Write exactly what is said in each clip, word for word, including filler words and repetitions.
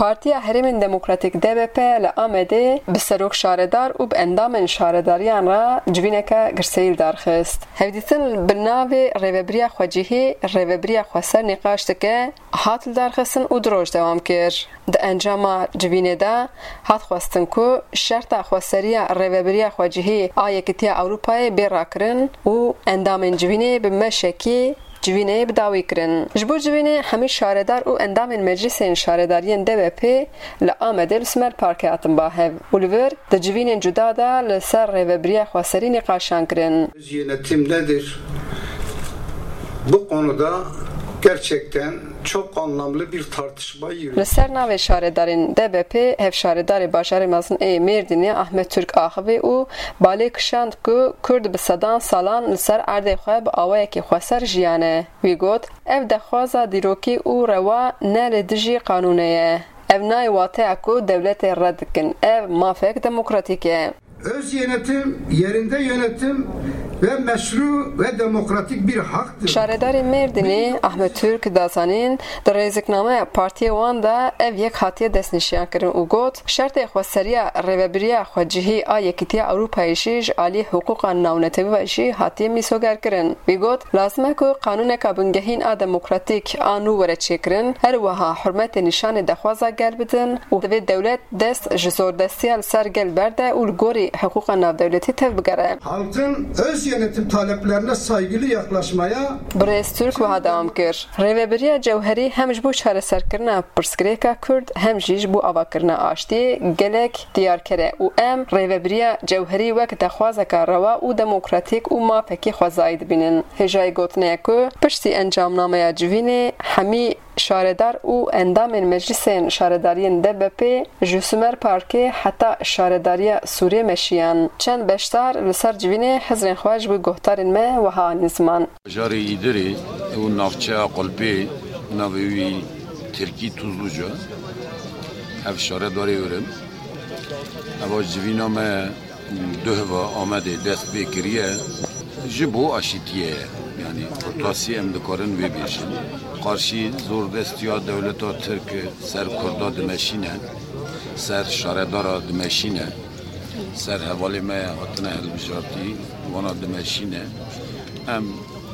Partiya Herêmên Demokratîk D B P li Amedê bi serok şaredar û bi endamên şaredariyan re civîneke girseyî li dar xist. Hevdîtin bi navê Rêvebiriya Xwecihî, Rêvebiriya Xweser nîqaş dike, hat lidarxistin û du roj dewam kir. Di encama civînê de hat xwestin ku şerta xweseriya Rêvebiriya Xwecihî a Yekîtiya Ewropayê bê rakirin û endamên civînê bi meşekî civînê bi dawî kirin. Ji bo civînê hemî şaredar û endamên meclisên şaredariyên D B P li Amedê li Sümer Parkê hatin ba hev û li vir di civînên cuda de li ser Rêvebiriya Xweserî nîqaşan kirin. Öz yönetim nedir? Bu konuda gerçekten çok anlamlı bir tartışma yürüyor. Li ser navê şaredarên D B P, hevşaredarê bajarê mezin ê Mêrdînê Ahmet Türk axivî û balê kişand ku Kurd bi sedan salan li ser erdê xwe bi awayekî xweser jiyane. Wî got, ev dexwaza dîrokî û rewa ne li dijî qanûnê ye. Ev nayê wateya ku dewletê red dikin. Ev mafek demokratîk e. Öz yönetim, yerinde yönetim ve meşru ve demokratik bir haktır. Şaredarê Mêrdînê Ahmet Türk da zanîn, di rêziknameya partiyê wan de ev yek hatiye destnîşankirin û got, şertê xweseriya Rêvebiriya Xwecihî a Yekîtiya Ewropayê jî ji alî hiqûqa navnetewî ve jî hatiye mîsogerkirin. Wî got, lazim e ku qanûneka bingehîn a demokratîk a nû were çêkirin, her wiha hurmetê nîşanê dexwaza gel bidin û divê dewlet dest ji zordestiya li ser gel berde û li gorî hiqûqa navdewletî tevbigere. Halkın öz yönetim taleplerine saygılı yaklaşmaya Birêz Türk wiha dewam kir, Rêvebiriya Cewherî hem ji bo çareserkirina pirsgirêka Kurd hem jî ji bo avakirina aştiyê gelek diyarker e û em Rêvebiriya Cewherî wek dexwazeka rewa û demokratîk û mafekî xwezayî dibînin. Hêjayî gotinê ye ku piştî encamnameya civînê hemî şaredar û endamên meclisên şaredariyên D B P ji Sümer Parkê heta Şaredariya Sûrê meşiyan. Çend beşdar li ser civînê hizrên xwe ji bo guhdarên me wiha anîn ziman. Bajarê Îdirê û navçeya Qulpê, navê wî tirkî Tuzluca, ev şaredarê wir in. Eva civîna me duh ve Amedê dest pê kiriye, ji bo aşîtiyê ye. Yanî kurtasî em dikarin vê bêjin. Qarşî zordestiya dewleta Tirk ser Kurda dimeşîne, ser şaredara dimeşîne, ser hevalê me hatine hilbijartî, wana dimeşîne. Em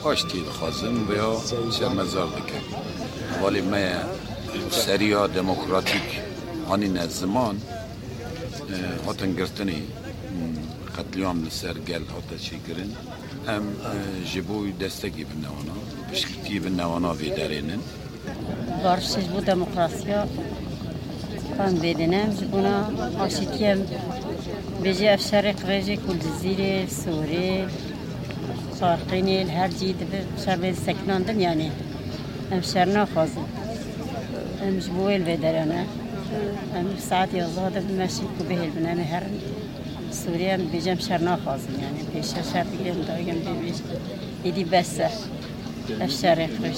aştî dixwazin veya şermezar dikin. Hevalê me ye, seriya demokratîk anîne ziman, e, hatin girtinê, qetlîam li ser gel hate çêkirin. Em, e, ji bo wî destekê bidine wana, piştgirtiyê bidine wana vê derê nin. Barişê ji bo demokrasiya em vê dine, em ji bona aşîtiyê em bêjê ev şerê qirêjê ku li Cizîrê, Sûrê, Farqînê, li her cî dibe şer bên sekinandin, yanî em şer naxwazin. Em ji bo wê li vê derê ne. Em saet yazdeh de bimeşin ku bihêlbin. Em ê herin Sûriyê, em dibêjin em şer naxwazin. Yanî pêşiya şer digirin, dagir em dibêjin. Êdî bes e. Ev şerê xweş.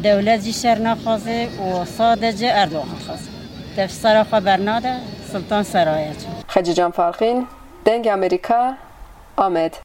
Dewlet jî şer naxwaze û sadece Erdogan dixwaze. Dev sera xwe bernade, Sultan Seraya çû. Xecîcan Farqîn, Dengê Amerîka, Amed.